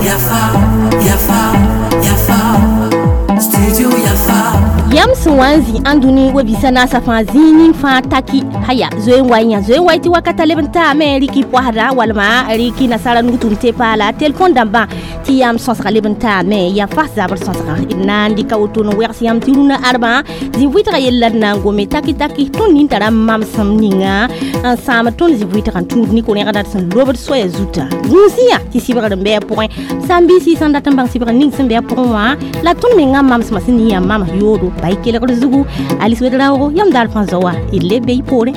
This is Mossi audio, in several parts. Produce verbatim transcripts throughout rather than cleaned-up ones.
Yafa, Yafa, Yafa, Studio Yafa. Yam sẽn wa n zĩ ãndũni wa-biisã naasã fãa zĩig ning fãa taki haya zoe n wa yã zoe n wa tɩ wakata leb n taame rɩk y poasda walma rɩk y nasara nugtʋm tɩ paala telefon dãmbã tɩ yãmb sõsga leb n taame yaa fas zabr sõsga d na n dɩka woto n wɛgs yãmb tɩ rũnã ãdmã zĩ vʋɩtga yell la d na n gome taki taki tõnd nin tara mamsem ninga n sãam tõnd zĩ vʋɩtga n tũud ne ko-rẽgda d sẽn lobd soaya zuta gũus yã tɩ sɩbgr n bɩ a pʋgẽ sãn-biisi sẽn dat n bãng sɩbgr ning sẽn bɩ a pʋgẽ wã la tõnd mengã mamsmã sẽn ning yaa mams yoodo bay kelgr zugu Alice Ouedraogo yam dar fãa zoa d le be y poorẽ.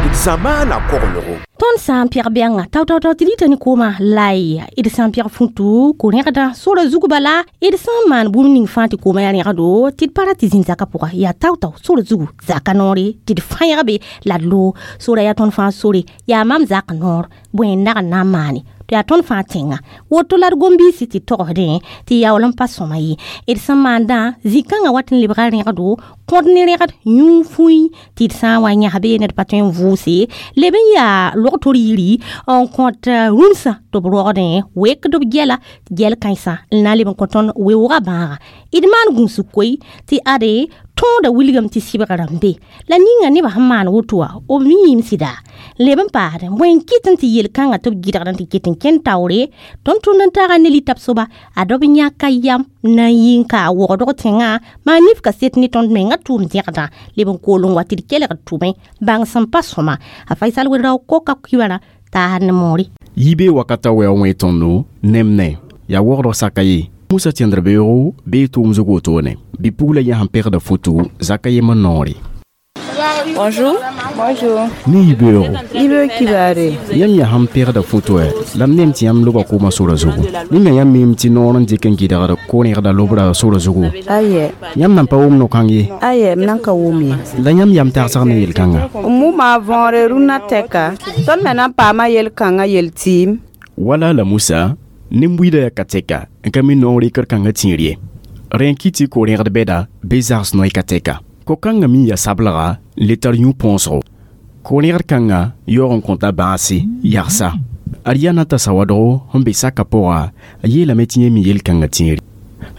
D zamaana koglgo. Tõnd sã n pɛg bɛngã tao tao tao tɩ rɩta ne koomã lay d sã n pɛg futu ko-rẽgdã sora zug bala d sã n maan bũmb ning fãa tɩ koomã yaa rẽgdo tɩ d pa ra tɩ zĩnd zakã pʋga yaa tao tao sora zugu zaka noore tɩ d fãyg be la d loog sora yaa tõnd fãa sore yaa mam zak noor bõe n nag n na n maane tɩ yaa tõnd fãa tẽnga woto la d gom-biisi tɩ togsdẽ tɩ yaool n pa sõma ye d sẽn maandã zĩ-kãngã wat n lebga rẽgdo kõd ne rẽgd yũ fũi tɩ d sã n wa yãs be ned pa tõe n vʋʋse leb n yaa log-tor yiri n kõt rũmsã tɩ b rogdẽ wekd b gɛla tɩ gɛl kãensã n na n leb n kõ tõnd weoogã bãaga d maan gũusg koe tɩ ade tõoda wilgame tɩ sɩbgrã n be la ninga nebã sẽn maan woto wã b miime sɩda leb n paasdẽ bõe n kɩt n tɩ yel-kãngã tɩ b gɩdgd n tɩ ket n kẽnd taoore tõnd tʋnd n taaga ne litab soaba ad b yãka yam na n yɩ n ka wogdg tẽngã maa nif kaset ne tõnd mengã tʋʋm dẽgdã leb n kool n wa tɩ d kelgd tʋmẽ bãng sẽn pa sõma a Faisal Ouedraogo koka kibara taasd ne moore. Yibe wakata wɛ wẽ tõndo nemne yaa wogdg saka ye Musa tẽndr beoogo bee tʋʋm zug wotone bɩ-pugla yã sẽn pegda foto zaka yembr noore. Bonjour. Bonjour. Ne yibeoogo. Yibe kibare. Yãmb yaa sẽn pegda foto wɛ la m nem tɩ yãmb loba koomã sora zugu ninga yãmb miime tɩ noor n dɩk n gɩdgd ko-rẽgda lobra sora zugu. Aye. Yãmb nan pa wʋm no-kãng ye. Aye, m nan ka wʋm ye. La yãmb yam tagsg ne yel-kãnga. M wʋma võore rũnnã tɛka tõnd me na n paama yel-kãngã yel-tɩɩm. Wala la Musa nin-buiidã yaa ka tɛka n ka mi noor rɩkr kãngã tĩir ye rẽ n kɩ tɩ ko-rẽgd bɛda bɩ zags noy ka tɛka ko-kãngã mi yaa sablega n le tar yũ põosgo ko-rẽgd kãngã yaoog n kõta bãase yagsa ad yaa na tasa wadgo sẽn be sakã pʋga a yeelame tɩ yẽ mi yel-kãngã tĩiri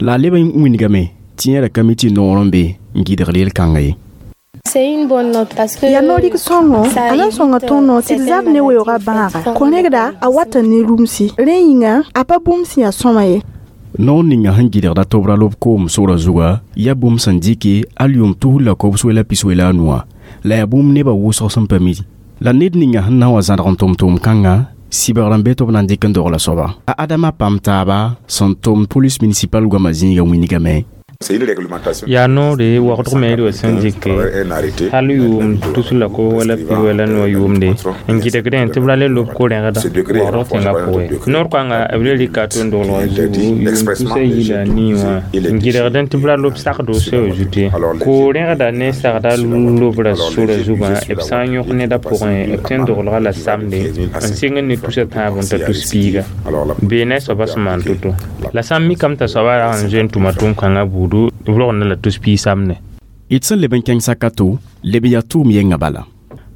la a leb n wingame tɩ yẽ ra ka mi tɩ noor n be n gɩdgd yel-kãngã ye. C'est une bonne note parce que yaa no-rɩk sõngo a na n sõnga tõnd tɩ d zab ne weoogã bãaga ko-rẽgda a wata ne rũmsi rẽ yĩnga a pa bũmb sẽn yaa sõma ye. Noor ninga sẽn gɩdgda tobra lob koom sora zuga yaa bũmb sẽn dɩke al yʋʋm tus la kobs la piswɛ la a nuwã la yaa bũmb nebã wʋsg sẽn pa mi la ned ninga sẽn na n wa zãdg n tʋm-tʋʋm kãngã sɩbgr n be tɩ b na n dɩk n dogla soaba a Adama pam taaba sẽn tʋm police municipal goamã zĩiga wingame. Yaa noore wagdg me d wa sẽn dɩke hal yʋʋm tus la kob wala pi wala noa yʋʋmde n gɩdgdẽ tɩ b ra le lob ko-rẽgda wagdg tẽngã pʋgẽ noor kãnga b le rɩka tõnd doglgã zugu yʋʋm tusa yi la a nii wã n gɩdgdẽ tɩ b ra lob sakdo soa zut ye ko-rẽgda ne sagda lobra sora zugã b sã n yõk neda pʋgẽ b tõe n doglga la samde n sɩng ne tusa tãab n ta tus piiga beene soaba sẽn maan to-to la sã n mikame t'a soaba rag n zoe n tʋma tʋʋm-kãngã buudu b rogenda la tus piig samne. D sẽn leb n kẽng saka to leb yaa tʋʋm yengã bala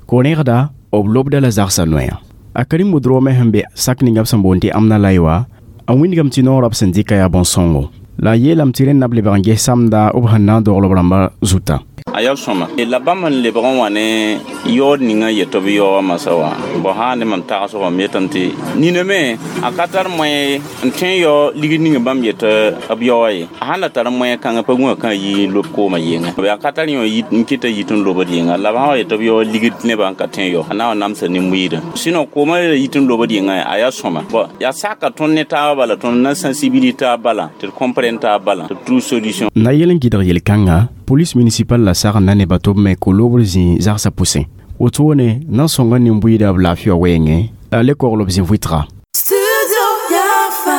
ko-rẽgda b lobda la zagsã noya a Karim Wodrome sẽn be sak ninga b sẽn boond tɩ amna lay wã a wĩndgame tɩ noorã b sẽn dɩka yaa bõn-sõngo la a yeelame tɩ rẽnd na b lebg n ges samda b sẽn na n dogl b rãmbã zuta. A yaa sõma la bãmb n lebg n wa ne yaood ninga yetɩ b yaooga masã wã bõ sã ne mam tagsg m yetame tɩ niname a ka tar moẽ n tõe n yao ligd ning bãmb yetɩ b yaooga ye a sãn la tar moẽ kãngã pa gũa kã yɩ n lob koomã yɩnga a ka tar yõ n kɩta yit n lobd yɩnga la b sã wa yetɩ b yao ligd nebã n ka tõe n yao a na n wa namsa nin-buiidã sɩno koomã yit n lobd yɩnga a yaa sõma bõ yaa saka tõnd ne taabã bala tõnd na sensibilité taab bala tɩ d comprendre taab bala tɩ d trouve solution. Na yel n gɩdg yel-kãngã police municipal la sag n na nebã tɩ b me ko-lobr zĩ zagsã pʋsẽ wotone na n sõnga nin-buiidã b laafɩ wã wɛɛngẽ la a le kogl b zĩ vʋɩtga. Studio Yafa.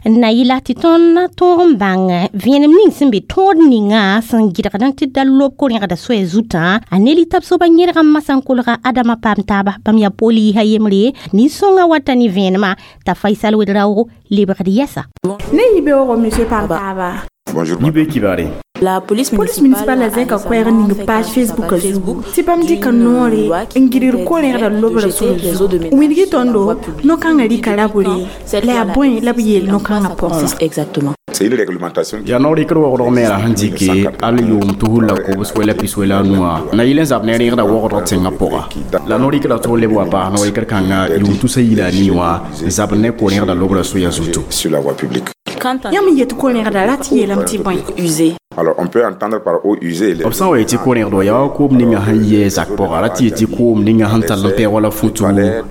Na yɩla tɩ tõnd tõog n bãng vẽenem ning sẽn be tõod ninga sẽn gɩdgd n tɩ da lob ko-rẽgda soaya zutã a ne litab soaba yẽdg n masã n kolga Adama paam taaba bãmb yaa poliisã yembre nin-sõngã wata ne vẽenemã t'a Faisal Ouedraogo lebgd yɛsa. Ne yibeoogo monsieur Pam taaba. Bonjour. Yibe kibare. La police Police municipale zẽka koɛɛg ning page Facebook zugu tɩ bãmb dɩka noore n gɩdgd ko-rẽgda lobra sore zugu wilg-y tõndo no-kãngã rɩka rabore la yaa bõe la b yeel no-kãngã pʋgẽ wã. Exactement. C'est une réglementation yaa no-rɩkr wogdg me la sẽn dɩke al yʋʋm tusr la kobs la piswɛ la a nuwã na yɩl n zab ne rẽgda wogdg tẽngã pʋga la no-rɩkrã tʋg leb wa paas no-rɩkr kãngã yʋʋm tusa yila a nii wã n zab ne ko-rẽgda lobra soya zutu. Sur la voie publique. Yãmb n yet ko-rẽgda rat yeelame tɩ bõe. Usée. Alors on peut entendre par eau usée les b sã n wa yetɩ ko-rẽgd yaa wa koom ninga sẽn yɛɛ zak pʋga ra tɩ yetɩ koom ninga sẽn tall n pɛɛ wala futu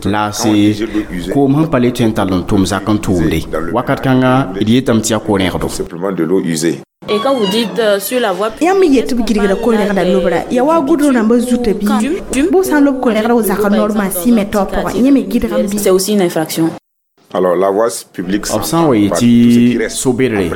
laase koom sẽn pa le tõe n tall n tʋm zak n tʋʋmde wakat kãnga d yetame tɩ yaa ko-rẽgdo. Simplement de l'eau usée. Et quand vous dites euh, sur la voie Yãmb me yet tɩ b gɩdgda ko-rẽgda lobra yaa wa gʋdr rãmbã zuta bɩ bʋ sã n lob ko-rẽgda wa zakã normal sɩ tao pʋgẽ yẽ me gɩdgame bɩ. C'est aussi une infraction. Alors la voie publique b sã n wa yetɩ so-bedre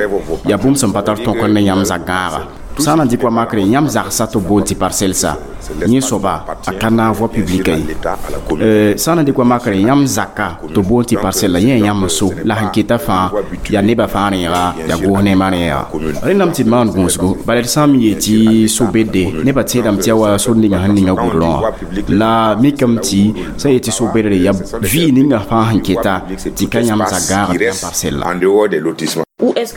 yaa bũmb sẽn pa tar tõk ne yãmb zak gãaga sã n na n dɩk wa makre yãmb zagsã tɩ b boond tɩ parcelle sa yẽ soaba a ka naag voie publique ye sã n na n dɩk wa makre yãmb zaka tɩ b boond tɩ parcelle la yẽ yaa yãmb so la sẽn keta fãa yaa nebã fãa rẽega yaa goos neemã rẽega rẽndame tɩ d maan gũusgo bala d sã n me yee tɩ so-bedde nebã tẽedame tɩ yaa wa sor ninga sẽn ninga goudrõ wã la mikame tɩ sã n yetɩ so-bedre yaa vɩ ninga fãa sẽn keta tɩ ka yãmb zak gãagd yãmb parcelle la. En dehors des lotissements.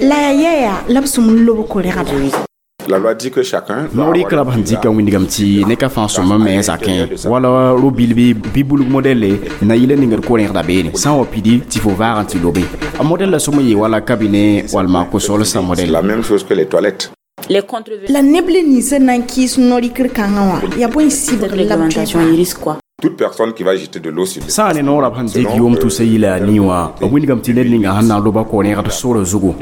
La yaa yɛɛya la b sũm n lob ko-rẽgda. La loi dit que chacun doit No-rɩkrã b sẽn dɩka wĩndgame tɩ ne ka fãa sõma me zakẽ wala ro-bil bɩ bɩ bulg modɛlle na yɩl n ningd ko-rẽgda beene sã n wa pidi tɩ fo vaag n tɩ lobe a modɛl la sõma yee wala cabinet walma ko-solsã modɛl. La même chose que les toilettes. Les contrevenants. La neb le ninsã na n kɩɩs no-rɩkr kãngã wã yaa bõe sɩbgr la b tõe. Réglementation, il risque quoi? Toute personne qui va jeter de l'eau sur sã n ne noorã b sẽn dɩk yʋʋm tusa yila a nii wã b wilgame tɩ ned ninga sẽn na n loba ko-rẽgd sora zugu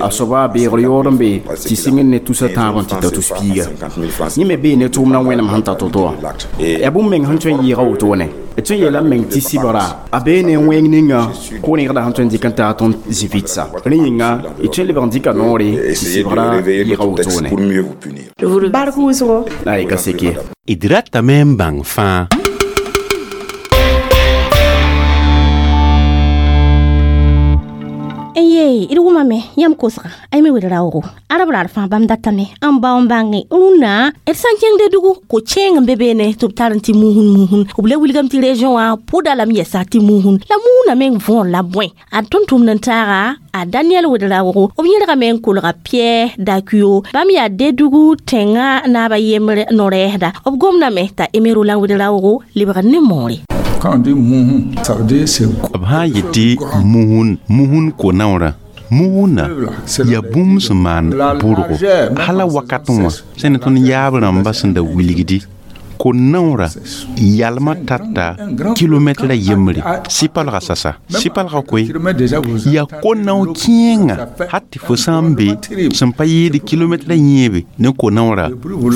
a soaba beegr yaood n be tɩ sɩng ne tusa tãab n tɩ ta tus piiga yẽ me bee ne tʋʋmdã wẽnem sẽn ta to-to wã yaa bũmb meng sẽn tõe n yɩɩga wotone d tõe n yeelame meng tɩ sɩbgra a bee ne wẽng ninga ko-rẽgda sẽn tõe n dɩk n taa tõnd zĩ-vɩtsa rẽ yĩnga d tõe n lebg n dɩka noore tɩ essayer de sɩbgra réveiller yɩɩga notre texte wotone. pour mieux vous punir. Bark wʋsgo. La y ka seke. D ratame n bãng fãa. N ye d wʋmame yãmb kosga ay me wed raoogo arab raar fãa bãmb datame n bao n bãnge rũnnã d sã n kẽng dugu ko-kẽeng n be beene tɩ b tar n tɩ muusn muusn b le wilgame tɩ région wã pʋda lame yɛsa tɩ muusn la muusnã meng võor la bõe a tʋm-tʋmd n taaga a Daniel Ouedraogo b yẽlgame n kolga Pierre Dakuyo bãmb yaa Dedugu tẽngã naaba yembr no-rɛɛsda b gomdame t'a Aimé Roland Ouedraogo lebg ne moore. Quand on dit mouhou, ça veut dire c'est b sã n yetɩ muhun muhun ko-naoorã muhunã yaa bũmb sẽn maan bʋrgo hala wakatẽ wã sẽn ne tõnd yaab rãmbã sẽn da wilgdi ko-naoorã yalmã tata kilomɛtra yembre sɩ-palga sasa sɩ-palga koe yaa ko-nao kẽenga hat tɩ fo sã n be sẽn pa yɩɩd kilomɛtra yẽebe ne ko-naoorã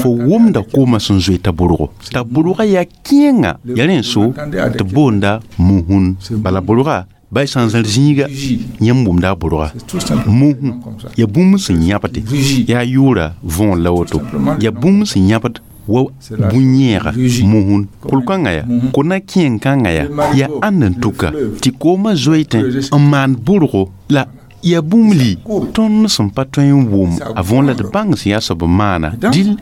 fo wʋmda koomã sẽn zoe t'a bʋrgo t'a bʋrgã yaa kẽenga yaa rẽ n so tɩ b boonda muhun bala bʋrga bay sã n zãr zĩiga yãmb wʋmda a bʋrga muhu yaa bũmb sẽn yãbde yaa yʋʋra võor la woto yaa bũmb sẽn yãbd wa bũ-yẽega muhun kʋl-kãngã ya ko-na kẽen-kãngã ya yaa ãnd n tuka tɩ koomã zoeetẽ n maan bʋrgo la yaa bũmb li tõnd sẽn pa tõe n wʋm a võor la d bãng sẽn yaa soab n maana dɩl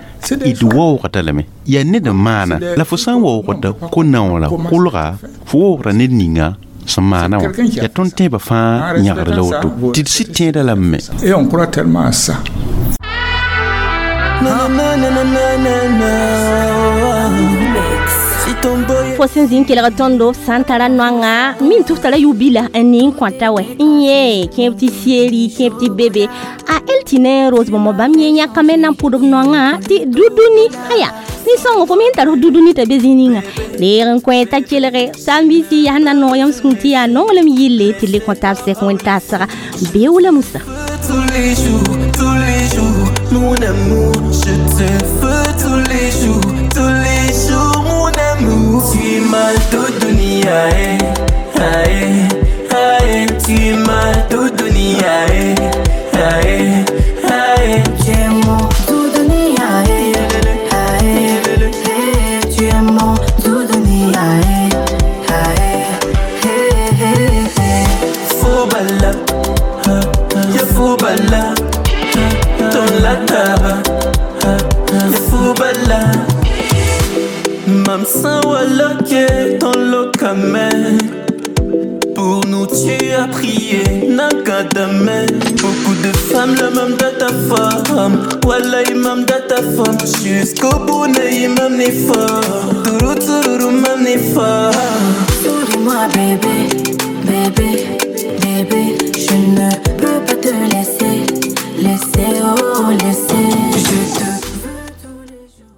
d waoogda lame yaa ned n maana la fo sã n waoogda ko-naoorã kʋlga fo waoogda ned ninga sẽn maana wã yaa tõnd tẽebã fãa yãgd la woto tɩ d sɩd tẽeda lame me. Et on croit tellement à ça. Fo sẽn zĩ n kelg tõndo sã n tara noanga min tɩ f tara yʋ-bila n ning kõta wɛ n yẽ kẽeb tɩ seeri kẽeb tɩ bebe a el tɩ ne rose bãmb bãmb yẽ yãkame na n pʋd b noangã tɩ duduni aya nin-sõngo fo me n tar f duduni t'a be zĩ ninga reeg n kõ t'a kelge sãn-biisi yaa na noog yãmb sũur tɩ yaa nonglem yille tɩ le kõ tab sɛk wẽn-taasga beoog la Musa. Tous les jours, tous les jours, mon amour, je te veux tous les jours, tous les jours, mon amour. Tu es ma doudouni, aïe, aïe, aïe. Tu es ma doudouni, aïe, aïe, aïe. Tu es mon doudouni, aïe, aïe, aïe. Tu es mon doudouni, aïe, aïe, aïe. Faux bala, ya faux bala, ton la taba. la. Mam sã n wa loke, tõnd lokame. Pour nous tu as prié, Nakadame. Beaucoup de femmes, la même de ta femme. Wallahi, mam de ta femme. Jusqu'au bout, ne mam n'est fort. Tourou, tourou, mam n'est fort. Souris-moi bébé, bébé.